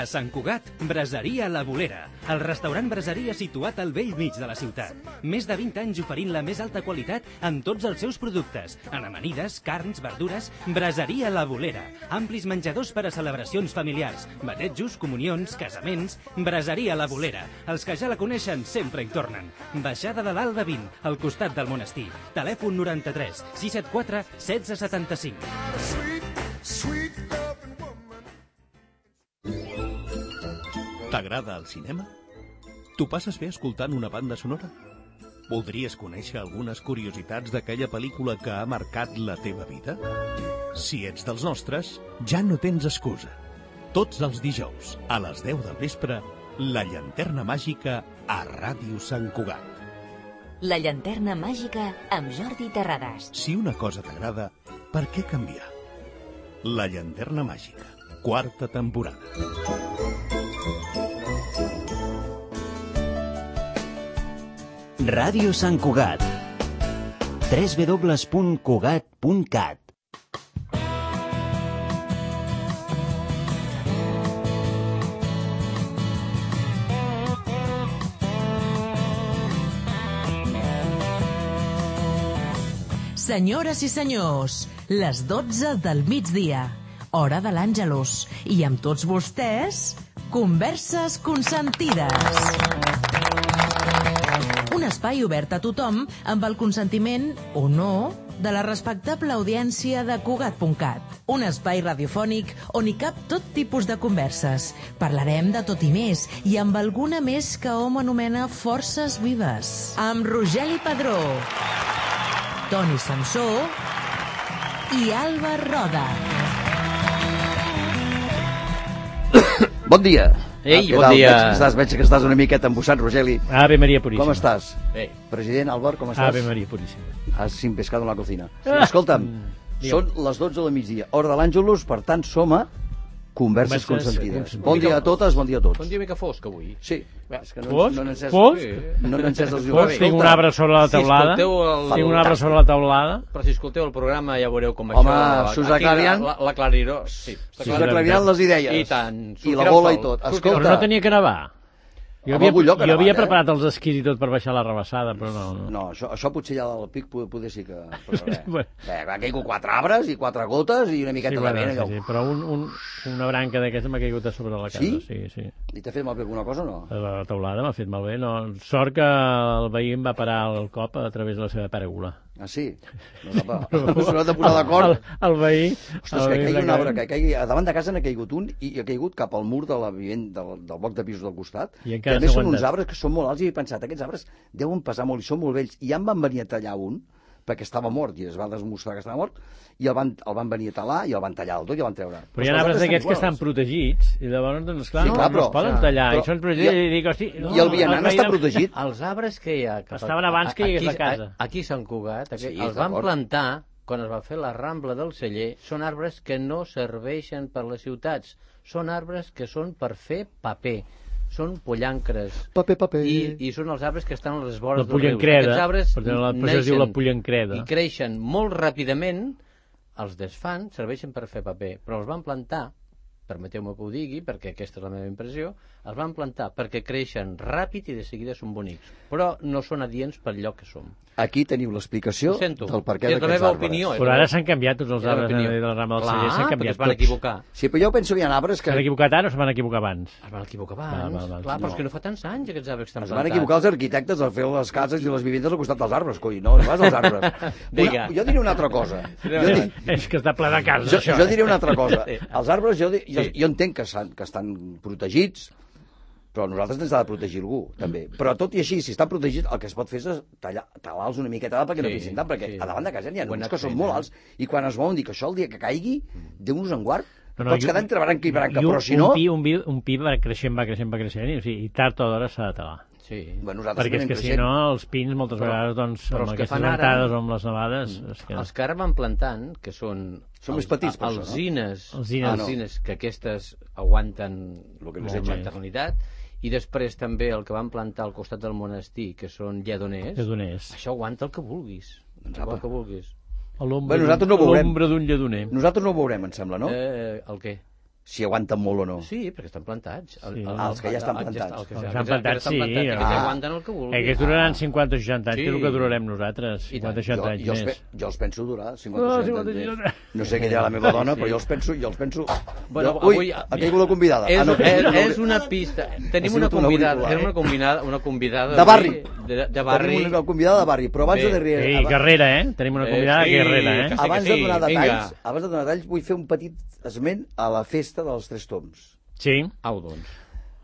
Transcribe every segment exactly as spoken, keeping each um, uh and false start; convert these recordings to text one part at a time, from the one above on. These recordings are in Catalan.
A Sant Cugat, Braseria La Bolera, el restaurant braseria situat al vell mig de la ciutat. Més de vint anys oferint la més alta qualitat en tots els seus productes. En amanides, carns, verdures, Braseria La Bolera. Amplis menjadors per a celebracions familiars, batejos, comunions, casaments. Braseria La Bolera. Els que ja la coneixen sempre hi tornen. Baixada de l'Alba vint, al costat del monestir. Telèfon noranta-tres sis set quatre setze setanta-cinc. T'agrada el cinema? T'ho passes bé escoltant una banda sonora? Voldries conèixer algunes curiositats d'aquella pel·lícula que ha marcat la teva vida? Si ets dels nostres, ja no tens excusa. Tots els dijous, a les deu del vespre, La Llanterna Màgica a Ràdio Sant Cugat. La Llanterna Màgica amb Jordi Terrades. Si una cosa t'agrada, per què canviar? La Llanterna Màgica, quarta temporada. Ràdio Sant Cugat. w w w punt cugat punt cat. Senyores i senyors, les dotze del migdia, hora de l'Àngelus, i amb tots vostès, Converses Consentides. Un espai obert a tothom amb el consentiment, o no, de la respectable audiència de Cugat punt cat. Un espai radiofònic on hi cap tot tipus de converses. Parlarem de tot i més, i amb alguna més que hom anomena forces vives. Amb Rogeli Padró, Toni Samsó i Alba Roda. Bon dia. Ei, Què bon tal? dia. Veig que, estàs, veig que estàs una miqueta embussat, Rogeli. Ave Maria Puríssima. Com estàs? Bé. President Álvaro, com estàs? Ave Maria Puríssima. Has sin pescado en la cocina. Escolta'm, Mm, són les dotze del migdia, hora de l'Àngelus, per tant som a Converses, Converses Consentides. Consentides. Bon dia a totes, bon dia a tots. Un dia mica fosc avui. Sí, és que no, Fosc? no n'he encès, Fosc? no n'he encès els llums. Fosc, tinc un arbre sobre la Si teulada. escolteu el... Tinc un arbre sobre la teulada. Però si escolteu el programa ja veureu com Home, això... s'us aquí aclariran? La, la clariró, sí. S'us aclariran les idees. I tant. I la Sortirà bola el i sol. tot. Sortirà Però Escolta, no tenia que nevar. Jo Home, havia, algun lloc ha jo havia nevat, eh? preparat els esquís i tot per baixar la rebassada, però no. no. no, això, això potser allà del pic poder, poder sí que... Però res. Bueno. Bé, ha caigut quatre arbres i quatre gotes i una miqueta Sí, de bueno, vent. Allò. sí, sí, però un, un, una branca d'aquesta m'ha caigut a sobre la casa. Sí? Sí, sí. I t'ha fet malbé alguna cosa o no? La teulada m'ha fet malbé. No. Sort que el veí em va parar el cop a través de la seva pèrgola. Ah, sí? No, va, s'ho hem de posar d'acord. El, el veí... Ostres, el que veí caigui un va arbre, caient. que caigui... A davant de casa n'ha caigut un i ha caigut cap al mur de la vivent, del, del bloc de pisos del costat. I Que encara a més s'ha són uns aguantat. arbres que són molt alts i he pensat, aquests arbres deuen pesar molt i són molt vells. I ja em van venir a tallar un, perquè estava mort i es va demostrar que estava mort, i el van, el van venir a talar i el van tallar del tot i el van treure. Però hi ha arbres d'aquests que estan protegits i llavors, doncs, clar, Sí, no, clar, no però- es poden clar, tallar. però- I són protegits i- i, dic, hosti... No, I el vianant veí està de- protegit? Els arbres que hi ha... Cap Estaven abans que hi hagués la aquí, casa. a- Aquí a Sant Cugat, aquí, Sí, els van d'acord. plantar quan es va fer la Rambla del Celler. Són arbres que no serveixen per les ciutats. Són arbres que són per fer paper. Són pollancres. Paper, paper. I, I són els arbres que estan a les vores La dels rius. pollancreda, Aquests arbres per tant, la- per això es diu la pollancreda. i creixen molt ràpidament, els desfan, serveixen per fer paper, però els van plantar, permeteu-me que ho digui, perquè aquesta és la meva impressió, els van plantar perquè creixen ràpid i de seguida són bonics, però no són adients pel lloc que som. Aquí teniu l'explicació Ho sento. del per què És la d'aquests meva arbres. opinió. és Però la ara meva- s'han canviat tots els és la arbres opinió. de la rama del Clar, celler, s'han perquè canviat es van tots. equivocar. Sí, però jo penso que hi ha arbres que... S'han equivocat ara o es van equivocar abans? Es van equivocar Val, abans. val, val. Clar, però és No. que no fa tants anys aquests arbres que estan Es plantats. van equivocar els arquitectes al fer les cases i les vivendes al costat dels arbres, coi, no, no vas als arbres. Vinga. Una, jo diré una altra cosa. Jo, di, És que està ple de cases, jo, això. jo eh? diré una altra cosa. Els arbres, jo, di- jo, Sí. jo entenc que, estan, que estan protegits, però nosaltres ens ha de protegir algú, també. Però tot i així, si estan protegits, el que es pot fer és tallar, talar-los una miqueta perquè no Sí, pissin tant, perquè sí. a davant de casa n'hi ha Ho he uns anat que són fent, molt eh? alts, i quan es volen dir que això el dia que caigui, Déu-nos en guard, No, no, pots i quedar un- entre branca i branca, i un, però si no... Un pi, un pi, un pi va creixent, va creixent, va creixent, i, o sigui, i tard o d'hora s'ha de talar. Sí. Bueno, nosaltres Perquè és anem que si creixent. no, els pins moltes Però- vegades, doncs, però amb els que aquestes fan ara- ventades o amb les nevades... És que... Els que ara van plantant, que són... Són més petits, per això, no? alzines, Alzines. alzines, alzines, que aquestes aguanten Lo que molt més la més. eternitat, i després també el que van plantar al costat del monestir, que són lledoners, Lledoners. això aguanta el que vulguis. Doncs el apa. que vulguis. A l'ombra Bé, nosaltres d'un- no ho veurem. a l'ombra d'un lledoner. Nosaltres no ho veurem, em sembla, no? Eh, el què? si aguanten molt o no. Sí, perquè estan plantats. Sí. Ah, els que ja estan plantats. Els que estan plantats, sí. Aquests aguanten el que vulguin. Aquests duraran cinquanta o seixanta anys, que és el que durarem nosaltres, cinquanta o seixanta anys jo, més. Jo, jo els penso durar cinquanta o seixanta anys més. No sé què dirà la meva dona, però jo els penso... Jo els penso... Bueno, jo, ui, avui, ha caigut la convidada. És, ah, no, és, no, és una pista. Tenim una convidada, tenim una convidada, una convidada de barri. De, de barri. Tenim una convidada de barri, però abans Bé. de darrere... Sí, Guerrera, eh? Tenim una convidada Eh, sí, Guerrera, eh? que sí, Abans que de sí. donar detalls, Vinga. abans de donar detalls, vull fer un petit esment a la festa dels Tres Tombs. Sí. Au, doncs.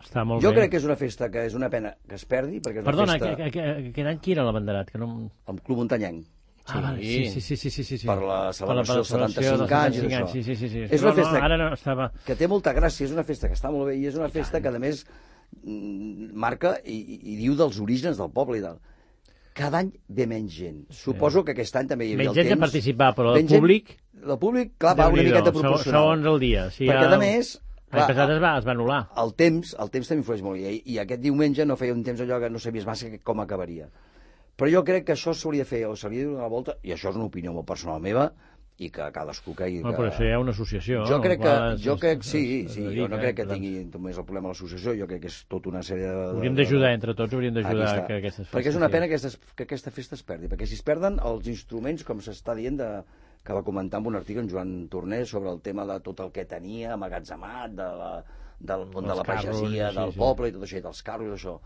Està molt Jo bé. crec que és una festa que és una pena que es perdi, perquè és una Perdona, festa... que, que, que, que any qui era l'abanderat? Que no... Amb Club Muntanyenc. Ah, vale, sí, sí, sí, sí, sí, sí, sí. Per la celebració dels setanta-cinc dels anys i setanta-cinc d'això. Sí, sí, sí, sí. És una No, no, festa ara no estava... que té molta gràcia, és una festa que està molt bé i és una festa que, a més, mm, marca i, i, i diu dels orígens del poble i del... Cada any ve menys gent. Suposo que aquest any també hi havia Menys el gent temps... de participar, però el Menys gent- públic... El públic, clar, va una Déu-n'hi-do, miqueta seg- proporcional. Segons el dia. Sí, Perquè, el- a més... L'any passat es va, es va anul·lar. El temps, el temps també influeix molt, i, i aquest diumenge no feia un temps allò que no sabies massa com acabaria. Però jo crec que això s'hauria de fer, o s'hauria de donar la volta, i això és una opinió molt personal meva, i que cadascú cregui No, que... però això hi ha una associació. Jo crec que, qual es- jo crec, es- sí, es sí, dedica, jo no crec que per tant. tingui només el problema de l'associació, jo crec que és tota una sèrie de... Hauríem d'ajudar, entre tots, hauríem d'ajudar Aquí està. que aquestes festes... Perquè és una sí. pena que, aquestes, que aquesta festa es perdi, perquè si es perden els instruments, com s'està dient, de, que va comentar en un article en Joan Torner sobre el tema de tot el que tenia amagatzemat, de la, del món de Els la carros, pagesia, sí, del sí. poble i tot això, i dels carros i tot això.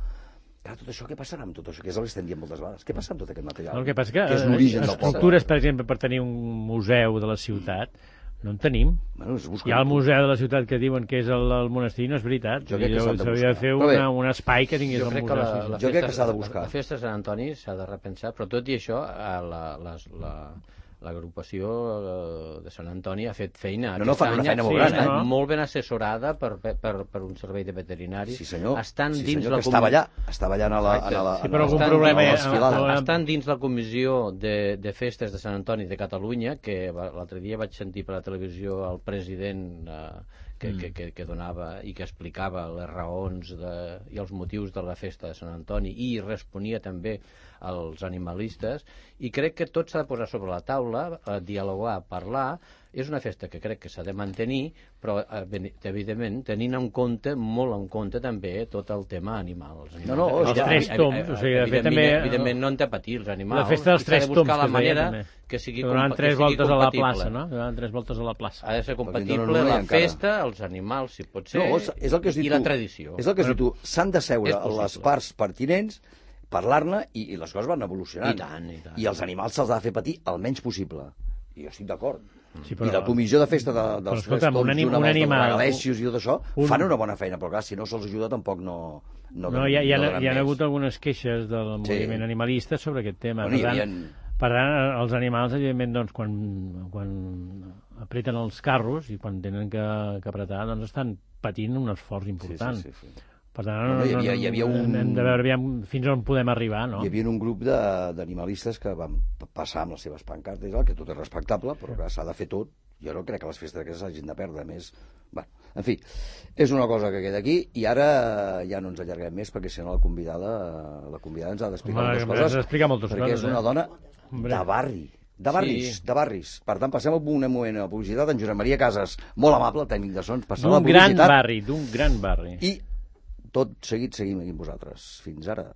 Clar, tot això, què passarà amb tot això? Que és el que estem dient moltes vegades. Què passa amb tot aquest material? No, el que passa que, que és l'origen del poble. estructures, per exemple, per tenir un museu de la ciutat, no en tenim. Bueno, es busca... Hi ha el museu de la ciutat que diuen que és el, el monestir, no és veritat. Jo crec que s'han de S'hauria de buscar. fer Però bé, una, un espai que tingués Jo el crec museu. que la, sí, la sí. Jo crec que festa- s'ha de buscar. La festa de Sant Antoni s'ha de repensar, però tot i això, eh, la, les, la, l'agrupació eh, de Sant Antoni ha fet feina. No, no, fan una Aquest any feina molt sí, gran, està eh? molt ben assessorada per, per, per un servei de veterinaris. Sí, senyor. Estan sí, dins senyor, la que estava allà, estava allà en la... Exacte. En la, Sí, en però la- algun en la problema hi ha- desfilada. no, Estan dins la comissió de, de festes de Sant Antoni de Catalunya, que va- l'altre dia vaig sentir per la televisió el president eh, que, Mm. que, que, que donava i que explicava les raons de, i els motius de la festa de Sant Antoni i responia també als animalistes, i crec que tot s'ha de posar sobre la taula, eh, dialogar, parlar. És una festa que crec que s'ha de mantenir, però eh, ben- evidentment tenint en compte, molt en compte també tot el tema animal. Els No, no, animals- els tres tombs, o sigui, de fet, també- Evidentment, evidentment no han de patir els animals. La festa dels i s'ha tres de buscar tombs, la que es deia, manera també. que sigui, Que donaven compa- tres que sigui voltes a la compatible. plaça, no? Donaven tres voltes a la plaça. Ha de ser Perquè compatible no, no, no hi ha la encara. festa, els animals, si pot ser, No, és, és el que has dit i tu. la tradició. És el que has dit tu. S'han de seure És possible. les parts pertinents, parlar-ne, i, i les coses van evolucionant. I tant, i tant. I els animals se'ls ha de fer patir el menys possible. I jo estic d'acord. Sí, I la comissió de festa de, Però, dels escolta'm, tres un tombs, anim- junt amb un els dels animal- regalècios i tot això, un- fan una bona feina, però clar, si no se'ls ajuda tampoc no... No, No, hi ha, hi ha, no donen hi ha més. hagut algunes queixes del Sí. moviment animalista sobre aquest tema. Bueno, hi per, tant, havien- per tant, els animals, evidentment, doncs, quan, quan apreten els carros i quan tenen que, que apretar, doncs estan patint un esforç important. Sí, sí, sí, sí. Per tant, No, no, hi havia- hi havia un- hem de veure aviam fins on podem arribar, no? Hi havia un grup de- d'animalistes que van p- passar amb les seves pancartes, i tal, que tot és respectable, però que s'ha de fer tot. Jo no crec que les festes aquestes s'hagin de perdre, a més... Bueno, en fi, és una cosa que queda aquí, i ara ja no ens allarguem més, perquè si no la convidada, la convidada ens ha d'explicar Home, moltes ens coses, ha d'explicar moltes perquè coses, és una eh? dona Hombre. de barri, de barris, Sí. de barris. Per tant, passem a un moment a la publicitat, en Josep Maria Casas, molt amable, el tècnic de sons, passar a la D'un gran publicitat, barri, d'un gran barri. i tot seguit seguim aquí amb vosaltres. Fins ara.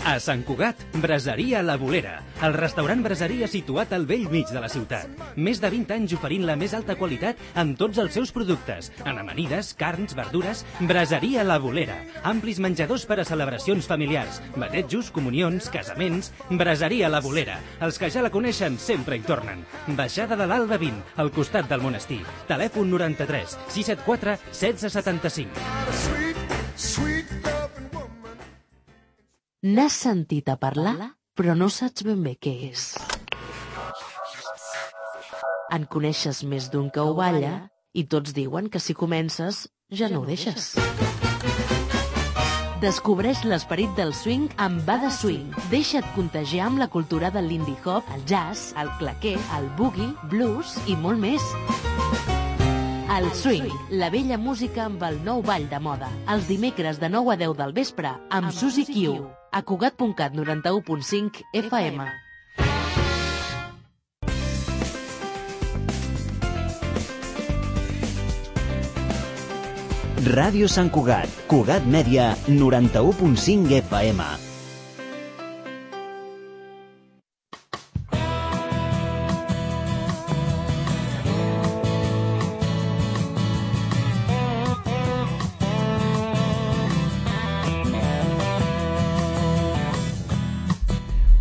A Sant Cugat, Braseria La Bolera, el restaurant braseria situat al vell mig de la ciutat. Més de vint anys oferint la més alta qualitat amb tots els seus productes. En amanides, carns, verdures, Braseria La Bolera. Amplis menjadors per a celebracions familiars, batejos, comunions, casaments. Braseria La Bolera. Els que ja la coneixen sempre hi tornen. Baixada de l'Alba vint, al costat del monestir. Telèfon noranta-tres sis set quatre setze setanta-cinc. N'has sentit a parlar, però no saps ben bé què és. En coneixes més d'un que ho balla i tots diuen que si comences ja no ho deixes. Descobreix l'esperit del swing amb Bada Swing. Deixa't contagiar amb la cultura del lindy hop, el jazz, el claqué, el boogie, blues i molt més. El swing, la vella música amb el nou ball de moda. Els dimecres de nou a deu del vespre amb Susi Q. A Cugat punt cat noranta-u punt cinc F M. Ràdio Sant Cugat, Cugat Mèdia, noranta-u punt cinc F M.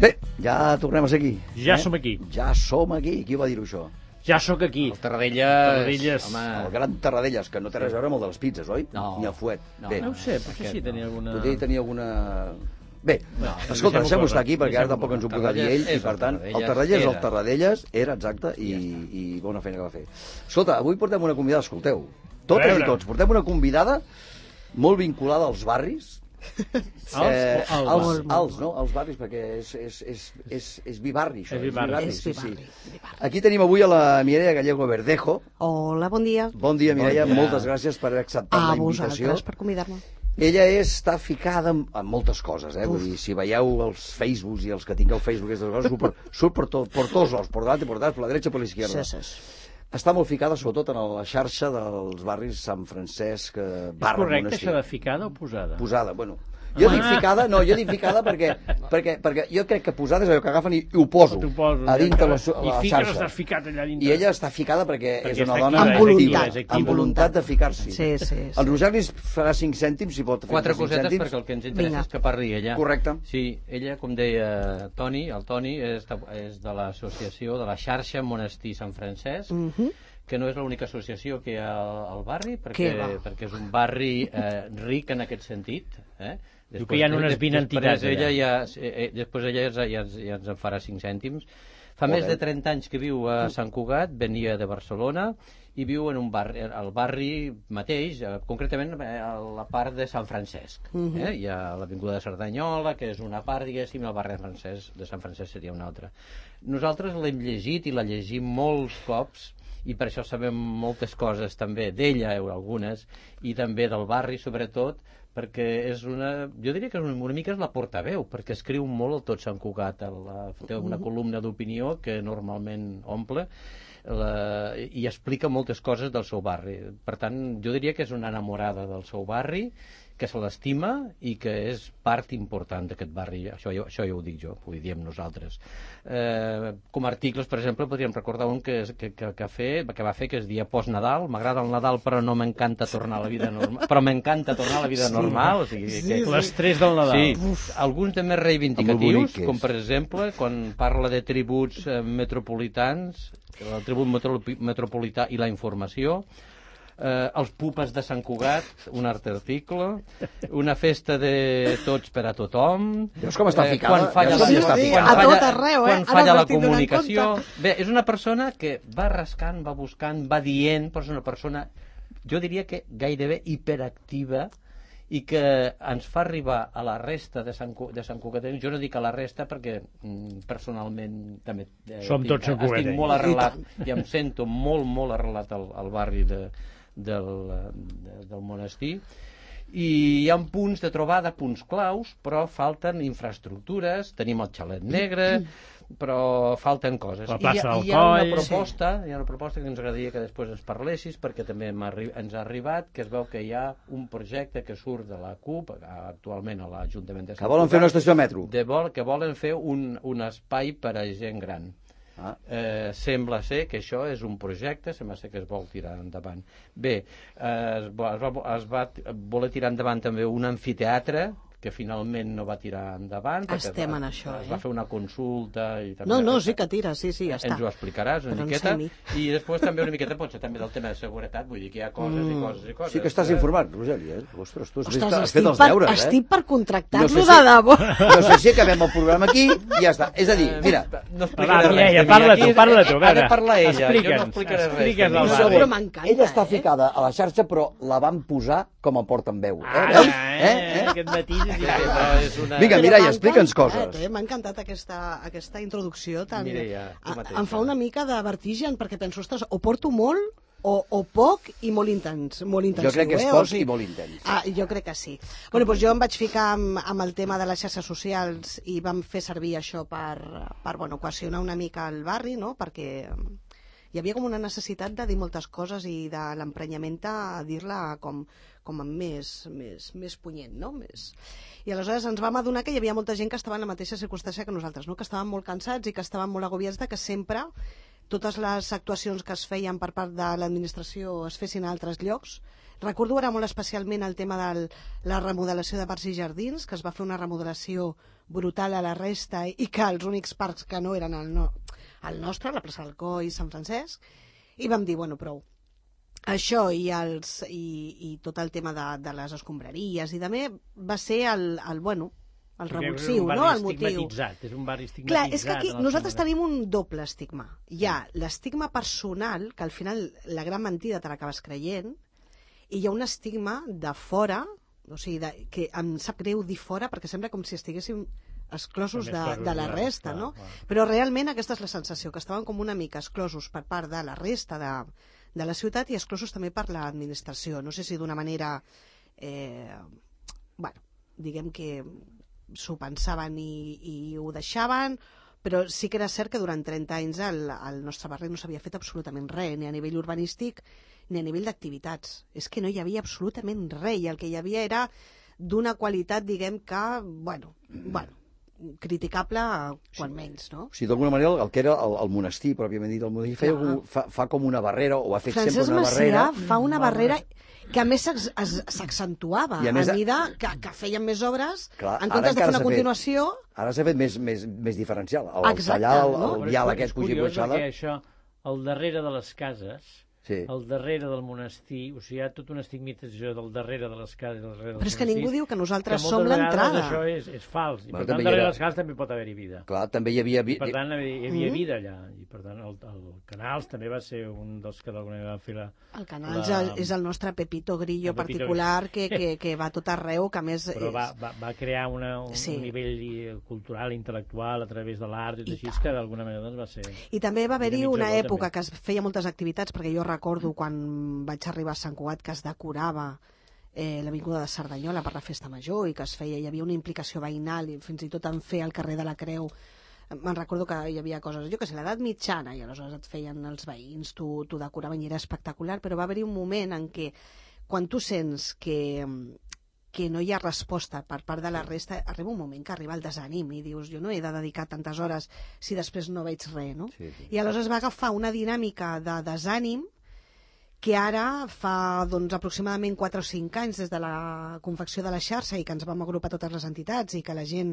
Bé, ja tornem a ser aquí. Ja eh? som aquí. Ja som aquí. Qui va dir-ho, això? Ja sóc aquí. El Tarradellas. Tarradellas. Home. El gran Tarradellas, que no té res a veure amb el de les pizzas, oi? No. Ni el fuet. No, Bé, No ho sé, potser sí tenia alguna... potser tenia alguna... Bé, No, escolta, deixem-ho deixem-ho córrer, estar aquí, perquè ara deixem-ho tampoc ens ho córrer. podrà dir ell, i Tarradellas per és tant, el el Tarradellas és el era. Tarradellas, era, exacte, i, i bona feina que va fer. Escolta, avui portem una convidada, escolteu, A totes veure. i tots, portem una convidada molt vinculada als barris, Els, eh, els, als, els, als, no? als barris, perquè és, és, és, és, és bibarri, això. És bibarri. sí, sí. Aquí tenim avui a la Mireia Gallego Verdejo. Hola, bon dia. Bon dia, Mireia, Bon dia. moltes gràcies per haver acceptat A la invitació. vosaltres per convidar-me. Ella és, està ficada en, en moltes coses, eh? Vull dir, si veieu els Facebooks i els que tingueu Facebook, aquestes coses, surt per, surt per, to, per tots els, per davant i per atrás, per la dreta i per l'esquerda. Sí, sí. Està molt ficada, sobretot, en la xarxa dels barris Sant Francesc, eh, és barra correcte Monestir. això de ficada o posada? Posada, bueno. Jo dic ficada, no, jo dic ficada perquè, perquè, perquè jo crec que posada és allò que agafen i, i ho poso, T'ho poso, a dintre la, I la fiques, xarxa. estàs ficat allà dintre. I ella està ficada perquè, Perquè és una està dona activa, Amb és voluntat. activa, és activa. amb voluntat de ficar-s'hi. Sí, sí, sí. El Roger li farà cinc cèntims, si pot fer Quatre cinc cosetes, cèntims. perquè el que ens interessa Vinga. és que parli ella. Correcte. Sí, ella, com deia Toni, el Toni és, de- és de l'associació, de la xarxa Monestir Sant Francesc, Mhm. que no és l'única associació que hi ha al, al barri, perquè, Què va? perquè és un barri eh, ric en aquest sentit. Eh? Diu que hi ha unes vint entitats Després ella, allà. ja, eh, eh, després ella ja, ja, ja ens en farà cinc cèntims. Fa Molt més bé. de trenta anys que viu a Sant Cugat, venia de Barcelona, i viu en un barri, al barri mateix, eh, concretament eh, a la part de Sant Francesc. Mhm. eh? Hi ha l'Avinguda de Cerdanyola, que és una part, diguéssim, i el barri de, Francesc, de Sant Francesc seria una altra. Nosaltres l'hem llegit i la llegim molts cops, i per això sabem moltes coses també d'ella, eh, algunes, i també del barri, sobretot, perquè és una... Jo diria que és una, una mica és la portaveu, perquè escriu molt el Tot Sant Cugat, la, té una columna d'opinió que normalment omple, la, i explica moltes coses del seu barri. Per tant, jo diria que és una enamorada del seu barri, que se l'estima i que és part important d'aquest barri. Això, jo- això ja ho dic jo, ho diem nosaltres. Eh, com a articles, per exemple, podríem recordar un que, és- que, que, que, fer, que va fer, que es dia Post-Nadal. M'agrada el Nadal, però no m'encanta tornar a la vida normal. Però m'encanta tornar a la vida normal. O sigui, que, L'estrès del Nadal. Sí, alguns de més Amb lo reivindicatius, bonic que és. com per exemple quan parla de tributs eh, metropolitans, el tribut metro, metropolità i la informació, eh, els pupes de Sant Cugat, un altre article, una festa de tots per a tothom. Veus com està ficada? Quan falla, Veus com la, està quan ficada? A falla, tot arreu, eh? quan Ara falla la m'estic donant comunicació. compte. Bé, és una persona que va rascant, va buscant, va dient, però és una persona, jo diria que gairebé hiperactiva, i que ens fa arribar a la resta de Sant, Cu- de Sant Cugatencs. Jo no dic a la resta perquè mm, personalment també eh, Som tinc- tots estic santcugatencs. molt arrelat i em sento molt, molt arrelat al, al barri de, del, de, del monestir, i hi ha punts de trobada, punts claus, però falten infraestructures. Tenim el xalet negre, però falten coses. La I hi ha- plaça del i hi ha una Coll. proposta, hi ha una proposta que ens agradaria que després ens parlessis, perquè també hem arri- ens ha arribat que es veu que hi ha un projecte que surt de la CUP, actualment a l'Ajuntament de Sant Que volen fer una Cugat, estació de metro. de vol, que volen fer un, un espai per a gent gran. Ah. Eh, sembla ser que això és un projecte, sembla ser que es vol tirar endavant. Bé, eh, es, va, es, va, es va voler tirar endavant també un amfiteatre, que finalment no va tirar endavant. perquè Estem es va, en això, Es va eh? fer una consulta i també... No, no, sí que tira, sí, sí, ja està. Ens ho explicaràs una Però en miqueta. semi. I després també una miqueta potser també del tema de seguretat, vull dir que hi ha coses Mm. i coses i coses. Sí que estàs eh? informat, Rogeri, eh? Ostres, tu has, Ostres, fet, has estic fet els per, deures, eh? estic per contractar-lo No sé de si- debò. No sé si acabem el programa aquí i ja està. És a dir, mira, No Va, explicaré res. Mireia, de mi. parla Aquí tu, parla tu, Ha va, de va. parlar ella, jo no Explica'ns, explicaré res. explica'ns de mi. el un barri. segon. Però m'encanta, Ella està eh? ficada a la xarxa, però la van posar com a portaveu. Eh? Ah, Veus? eh, Eh? Eh? Aquest matí... Aquesta és una... Vinga, Però Mireia, m'ha explica'ns encantat, coses. Eh? M'ha encantat aquesta, aquesta introducció tan... Mireia, tu A- mateixa. em fa una mica de vertigen, perquè penso, ostres, o porto molt o, o poc i molt intens. Molt intensiu, Jo crec que és eh? poc O sigui- i molt intens. Ah, jo crec que sí. Bueno, doncs jo em vaig ficar amb, amb el tema de les xarxes socials i vam fer servir això per, per bueno, cohesionar una mica el barri, no? Perquè hi havia com una necessitat de dir moltes coses i de l'emprenyament a dir-la com, com més, més, més punyent, no? Més... I aleshores ens vam adonar que hi havia molta gent que estava en la mateixa circumstància que nosaltres, no? Que estaven molt cansats i que estaven molt agobiats de que sempre totes les actuacions que es feien per part de l'administració es fessin a altres llocs. Recordo ara molt especialment el tema de la remodelació de parcs i jardins, que es va fer una remodelació brutal a la resta i que els únics parcs que no eren el, no, el nostre, la plaça del Coi i Sant Francesc, i vam dir, bueno, prou. Això i, els, i, i tot el tema de, de les escombraries i també va ser el, el bueno, el revulsiu, no? El motiu. És un barri estigmatitzat. Clar, és que aquí nosaltres tenim un doble estigma. Hi ha l'estigma personal, que al final la gran mentida te l'acabes creient, i hi ha un estigma de fora, o sigui, de, que em sap greu dir fora perquè sembla com si estiguéssim exclosos de, de la resta, no? Però realment aquesta és la sensació, que estaven com una mica exclosos per part de la resta de de la ciutat i exclosos també per l'administració. No sé si d'una manera, eh, bueno, diguem que s'ho pensaven i, i ho deixaven, però sí que era cert que durant trenta anys al, al nostre barri no s'havia fet absolutament res, ni a nivell urbanístic ni a nivell d'activitats. És que no hi havia absolutament res, i el que hi havia era d'una qualitat, diguem que, bueno, bueno, criticable quan menys, no? O sigui, d'alguna manera, el que era el, el monestir, pròpiament dit, el monestir feia, ja. fa, fa com una barrera, o ha fet Francesc sempre una Macià barrera... fa una barrera que a més s'accentuava a, a mesura que, que feien més obres. Clar, en comptes de fer una continuació... Fet, ara s'ha fet més, més, més diferencial. El, Exacte, tallar el, no? el vial aquest puig i baixada... És curiós, això, al darrere de les cases, sí. al darrere del monestir, o sigui, hi ha tota una estigmatització del darrere de les cases, del darrere dels Però és que ningú diu que nosaltres que som l'entrada. Això és, és fals, i bueno, per tant, darrere de les cases també pot haver-hi vida. Clar, també hi havia... I per tant, hi havia vida allà, i per tant, el, el Canals també va ser un dels que d'alguna manera van fer la... El Canals la... és el nostre Pepito Grillo el Pepito particular que, que, que va tot arreu, que a més... Però va, va, va crear una, un, sí. un nivell cultural, intel·lectual, a través de l'art, i així que d'alguna manera doncs, va ser... I també va haver-hi una època que es feia moltes activitats, perquè jo recordo quan vaig arribar a Sant Cugat que es decorava eh, l'avinguda de Cerdanyola per la festa major i que es feia, hi havia una implicació veïnal i fins i tot en fer el carrer de la Creu. Me'n recordo que hi havia coses, jo que sé, l'edat mitjana, i aleshores et feien els veïns, t'ho decoraven i era espectacular, però va haver-hi un moment en què quan tu sents que, que no hi ha resposta per part de la resta, arriba un moment que arriba el desànim i dius, jo no he de dedicar tantes hores si després no veig res, no? Sí, sí. I aleshores va agafar una dinàmica de desànim que ara fa doncs, aproximadament quatre o cinc anys des de la confecció de la xarxa i que ens vam agrupar totes les entitats i que la gent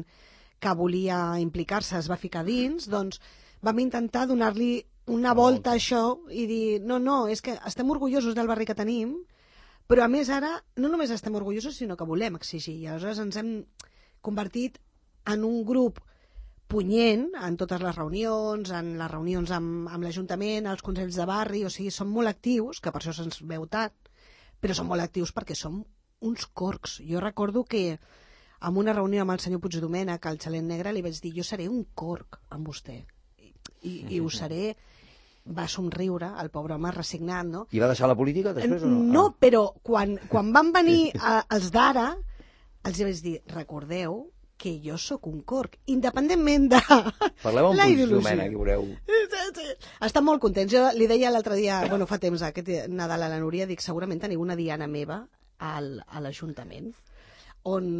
que volia implicar-se es va ficar dins, doncs vam intentar donar-li una volta a això i dir, no, no, és que estem orgullosos del barri que tenim, però a més ara no només estem orgullosos sinó que volem exigir, i aleshores ens hem convertit en un grup punyent en totes les reunions, en les reunions amb, amb l'Ajuntament, als consells de barri, o sigui, som molt actius, que per això se'ns veu tant, però som molt actius perquè som uns corcs. Jo recordo que en una reunió amb el senyor Puigdomènech, al Xalet Negre, li vaig dir, jo seré un corc amb vostè, i, i, i ho seré. Va somriure, el pobre home resignat, no? I va deixar la política després o no? No, ah. però quan, quan van venir a, els d'ara, els vaig dir, recordeu que jo sóc un corc, independentment de Parleu amb la ideologia. Puigdomènech, que veureu. Estan molt contents. Jo li deia l'altre dia, bueno, fa temps, aquest Nadal a la Núria, dic, segurament teniu una diana meva al, a l'Ajuntament, on,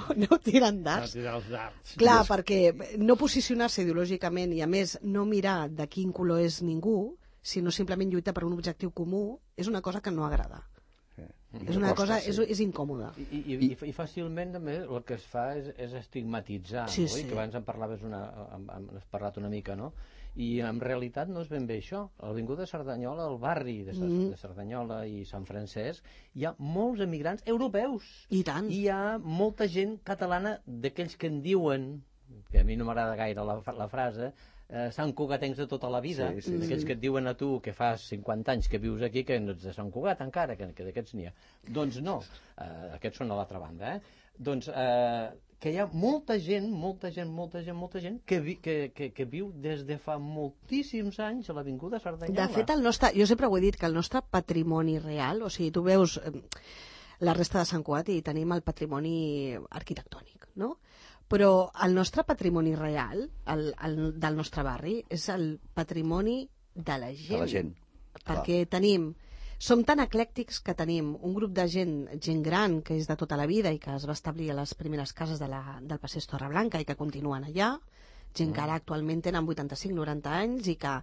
on no tiren dards. No els dards. Clar, perquè no posicionar-se ideològicament i, a més, no mirar de quin color és ningú, sinó simplement lluitar per un objectiu comú, és una cosa que no agrada. És una cosa, és, és incòmoda. I, i, i, i fàcilment també el que es fa és, és estigmatitzar, sí, no? Sí. I que abans en parlaves una, has parlat una mica, no? I en realitat no és ben bé això. A l'avinguda de Cerdanyola, al barri de, mm. de Cerdanyola i Sant Francesc, hi ha molts emigrants europeus. I tant. I hi ha molta gent catalana d'aquells que en diuen, que a mi no m'agrada gaire la, la frase, eh, Sant Cugatencs de tota la vida, sí, sí, d'aquells sí. que et diuen a tu que fa cinquanta anys que vius aquí que no ets de Sant Cugat encara, que, que d'aquests n'hi ha. Doncs no, eh, aquests són a l'altra banda, eh? Doncs eh, que hi ha molta gent, molta gent, molta gent, molta gent que, vi, que, que, que viu des de fa moltíssims anys a l'avinguda Cerdanyola. De fet, el nostre, jo sempre ho he dit, que el nostre patrimoni real, o sigui, tu veus eh, la resta de Sant Cugat i tenim el patrimoni arquitectònic, no? Però el nostre patrimoni real, el, el del nostre barri, és el patrimoni de la gent. De la gent. Perquè clar. tenim... Som tan eclèctics que tenim un grup de gent, gent gran, que és de tota la vida i que es va establir a les primeres cases de la, del passeig Torreblanca i que continuen allà, gent que ara actualment tenen vuitanta-cinc noranta anys i que,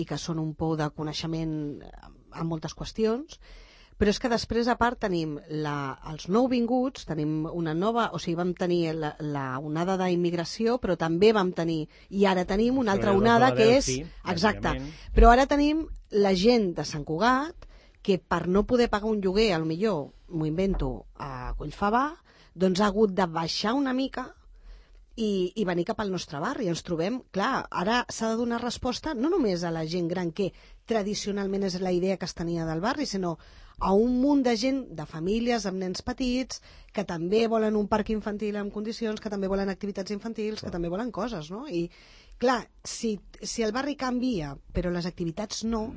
i que són un pou de coneixement en moltes qüestions, però és que després, a part, tenim la, els nouvinguts, tenim una nova... O sigui, vam tenir la, la onada d'immigració, però també vam tenir... I ara tenim una altra onada que és... Exacte. Però ara tenim la gent de Sant Cugat que per no poder pagar un lloguer, al millor, m'ho invento, a Collfabà, doncs ha hagut de baixar una mica i, i venir cap al nostre barri. Ens trobem, clar, ara s'ha de donar resposta no només a la gent gran, que tradicionalment és la idea que es tenia del barri, sinó a un munt de gent, de famílies amb nens petits, que també volen un parc infantil en condicions, que també volen activitats infantils, que també volen coses, no? I, clar, si, si el barri canvia, però les activitats no,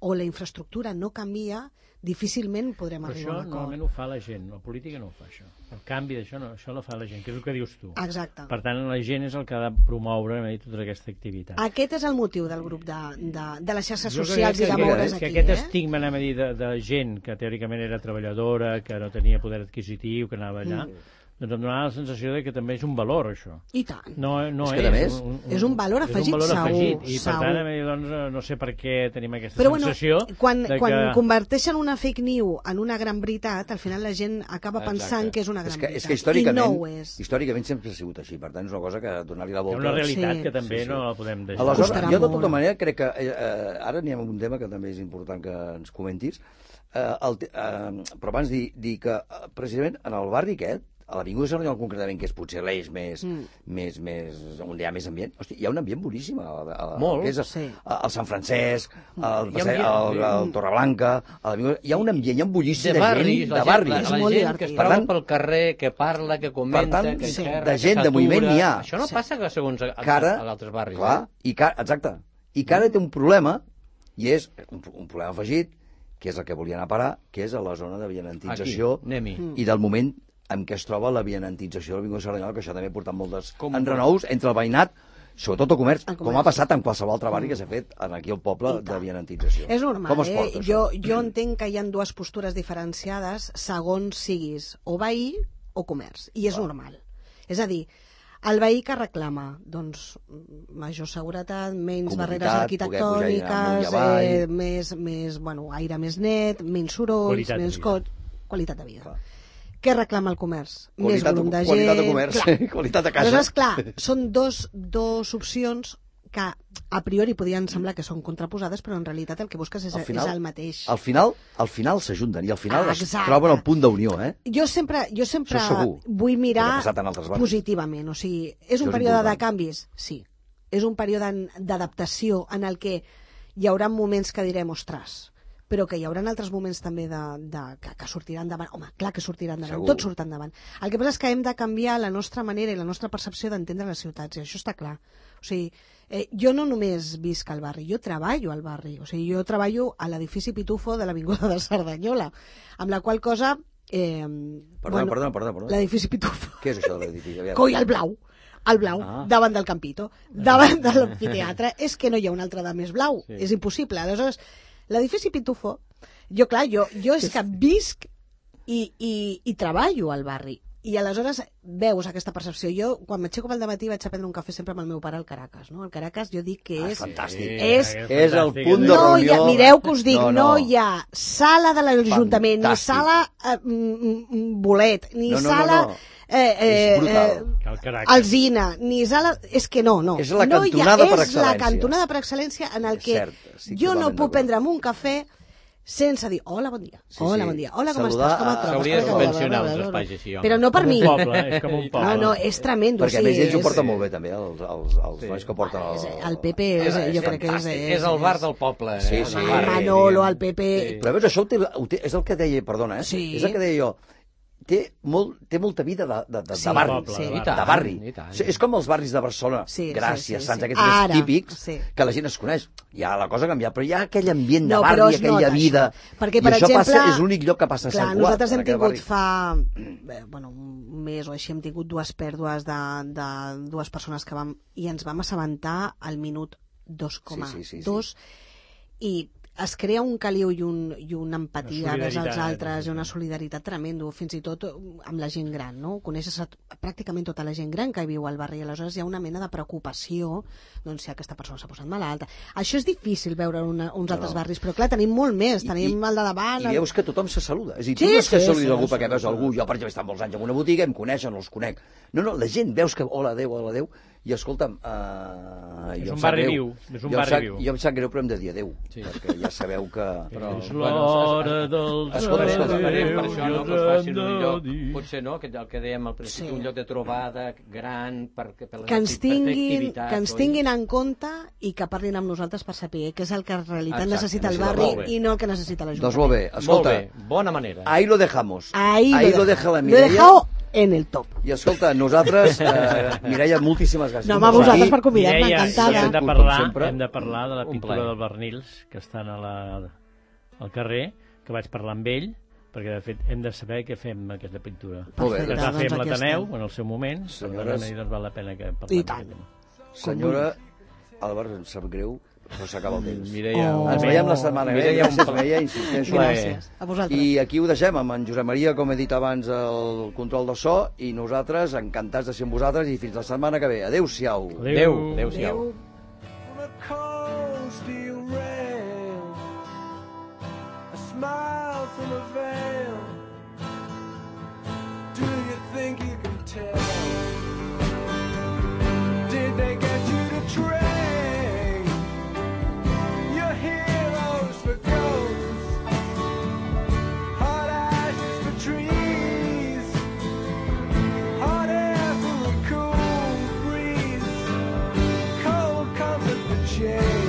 o la infraestructura no canvia, difícilment podrem però arribar a un acord. Això normalment ho fa la gent, la política no ho fa, això. El canvi d'això, no, això ho fa la gent, que és el que dius tu. Exacte. Per tant, la gent és el que ha de promoure tota aquesta activitat. Aquest és el motiu del grup de, de, de les xarxes jo socials i de moure's aquí. Que aquest eh? estigma, anem a dir, de, de gent que teòricament era treballadora, que no tenia poder adquisitiu, que anava allà... Mm. Doncs em donava la sensació de que també és un valor, això. I tant. No, no és, que, és, més, un, un, és un valor afegit, és un valor segur. afegit. I segur. per tant, doncs, no sé per què tenim aquesta Però, sensació... Bueno, quan, de quan que... converteixen una fake news en una gran veritat, al final la gent acaba pensant Exacte. que és una gran és que, veritat. És que històricament, I no ho és. històricament sempre ha sigut així, per tant és una cosa que donar-li la volta... Hi ha una realitat sí. que també sí, sí. no la podem deixar. Aleshores, jo de tota manera crec que... Eh, ara anem a un tema que també és important que ens comentis, eh, el, eh, però abans dir, dir que eh, precisament en el barri aquest, a l'Avinguda Cerdanyola concretament, que és potser l'eix més, mm. més, més, on hi ha més ambient, hosti, hi ha un ambient boníssim. A, a, Molt, que és a, sí. a, al Sant Francesc, al, passeig, al, al Torreblanca, a l'Avinguda... Hi ha un ambient, hi ha un bullici de, de barris, gent, la de barris. La, la, la gent que es troba pel carrer, que parla, que comenta, tant, que sí. xerra, de gent, de moviment n'hi ha. Això no sí. passa que segons a, a, cara, a altres barris. Clar, eh? i cara, exacte. I cara té un problema, i és un, un problema afegit, que és el que volien a parar, que és a la zona de vianantització i del moment en què es troba la vianantització de l'Avinguda Cerdanyola, que això també ha portat moltes com enrenous entre el veïnat, sobretot el comerç, el comerç, com ha passat en qualsevol altre barri que s'ha fet aquí al poble de vianantització. És normal, com es porta, eh? Jo, jo entenc que hi ha dues postures diferenciades segons siguis o veí o comerç, i és ah. normal. És a dir, el veí que reclama, doncs, major seguretat, menys barreres arquitectòniques, eh, més, més, bueno, aire més net, menys sorolls, qualitat menys cot, qualitat de vida. Clar. Què reclama el comerç? Qualitat, més volum de gent... Qualitat de comerç, clar. Qualitat de casa. Aleshores, clar, són dos, dos opcions que a priori podrien semblar que són contraposades, però en realitat el que busques és, final, és el mateix. Al final al final s'ajunten i al final ah, es troben el punt d'unió, eh? Jo sempre, jo sempre vull mirar positivament, o sigui, és un Això període és de canvis? Sí. És un període d'adaptació en el que hi haurà moments que direm, ostres, però que hi haurà altres moments també de, de, que, que sortirà endavant. Home, clar que sortirà endavant, Segur. tot surt endavant. El que passa és que hem de canviar la nostra manera i la nostra percepció d'entendre les ciutats, i això està clar. O sigui, eh, jo no només visc al barri, jo treballo al barri. O sigui, jo treballo a l'edifici Pitufo de l'Avinguda de Cerdanyola, amb la qual cosa... Eh, perdona, bueno, perdona, perdona, perdona. L'edifici Pitufo. Què és això de l'edifici? Coi, el blau. El blau, ah. davant del Campito, davant de l'amfiteatre. És que no hi ha un altre de més blau, sí. És impossible. Aleshores, l'edifici Pitufo, jo, clar, jo, jo és que visc i, i, i treballo al barri. I aleshores veus aquesta percepció. Jo, quan m'aixeco pel dematí, vaig a prendre un cafè sempre amb el meu pare al Caracas. No? El Caracas jo dic que és... Ah, fantàstic. És, és, és el punt de no reunió. Hi ha, mireu que us dic, no, no. no hi ha sala de l'Ajuntament, ni sala eh, bolet, ni no, no, sala... No, no. Eh, eh, eh, Alzina, ni sala... És que no, no. És la no cantonada ha, per és excel·lència. la cantonada per excel·lència en el que cert, sí, jo no puc prendre'm un cafè sense dir, hola, bon dia, sí, hola, sí. bon dia, hola, com Saludar, estàs, com et trobes? S'hauria de subvencionar uns espais així, home. Però no per com mi. Un poble, és com un poble. No, no, és tremendo. Perquè sí, a més ells és... ho porten molt bé, també, els, els, els sí. nois que porten el... El Pepe, és, és, jo crec que és... És, és el bar del poble. Sí, eh? sí. El Manolo, el Pepe... Sí. Però veus, això ho té, ho té, és el que deia, perdona, eh? Sí. És el que deia jo. Té, molt, té molta vida de, de, de, sí, de barri, poble, sí. de, de barri. I tant, és com els barris de Barcelona, sí, Gràcies, sí, sí, Sants, sí. aquests més típics, sí. que la gent es coneix. Ja la cosa ha canviat, però hi ha aquell ambient de no, barri, aquella nota, vida, perquè, i per això exemple, passa, és l'únic lloc que passa a clar, Sant Cugat. Nosaltres hem tingut barri. fa bé, bueno, un mes o així, hem tingut dues pèrdues de, de dues persones que vam, i ens vam assabentar al minut dos coma dos, sí, sí, sí, sí. i es crea un caliu i, un, i una empatia Una vers els solidaritat, altres sí. i una solidaritat tremendo, fins i tot amb la gent gran, no? Coneixes a, pràcticament tota la gent gran que viu al barri, i aleshores hi ha una mena de preocupació, doncs si aquesta persona s'ha posat malalta. Això és difícil veure en una, uns No, altres no. barris, però clar, tenim molt més, I- tenim i- el de davant... I el- veus que tothom se saluda. És a dir, Sí, tu no és que sí, saludis sí, algú sí, perquè veus sí. algú, jo per exemple he estat molts anys en una botiga, em coneixen, no els conec. No, no, la gent veus que hola, adéu, hola, adéu, i escolta'm, uh, És jo un em sap barri greu. viu, és un Jo em barri sap- viu. Jo em sap greu, però hem de dir adéu, Sí. perquè ja sabeu que... Però, És bueno, l'hora es- es- dels escolta, escolta, Esperem per adéus, això no, que us i facin un ens lloc, ha de dir. potser no, que el que dèiem al principi, Sí. un lloc de trobada gran per, per les que ens, acti- per fer tinguin, activitats, que ens oi? tinguin en compte i que parlin amb nosaltres per saber què és el que en realitat Exacte, necessita el necessita, barri molt bé. i no el que necessita l'Ajuntament. Doncs molt bé, escolta, Molt bé, bona manera. ahí lo dejamos. Ahí, ahí lo he deja la Lo he Mireia. dejado en el top. I escolta, nosaltres, eh, Mireia, moltíssimes gràcies. No, home, a vosaltres Aquí. per convidar-me, Mireia, encantada. hem de Com parlar, sempre. hem de parlar de la Un pintura plaer. del Bernils, que estan a la, al carrer, que vaig parlar amb ell, perquè de fet hem de saber què fem amb aquesta pintura. Molt bé. Que es Perfecte, va fer doncs amb aquí l'Ateneu estem. en el seu moment, Senyores- per tant, doncs val la pena que parlem I d'aquest tant. tema. Senyora, Albert, em sap greu, però s'acaba el temps. Mireia, Oh. un Ens plaer. veiem la setmana que ve. Mireia, un Gràcies, plaer. Mireia, insisteixo. Gràcies. A vosaltres. I aquí ho deixem, amb en Josep Maria, com he dit abans, el control de so, i nosaltres encantats de ser amb vosaltres, i fins la setmana que ve. Adéu-siau. Adéu, adéu-siau. Adéu. On a cold steel rail, a smile from a veil. Do you think you can tell? Did they get you to train your heroes for ghosts? Hot ashes for trees, hot air for a cool breeze, cold comfort for change.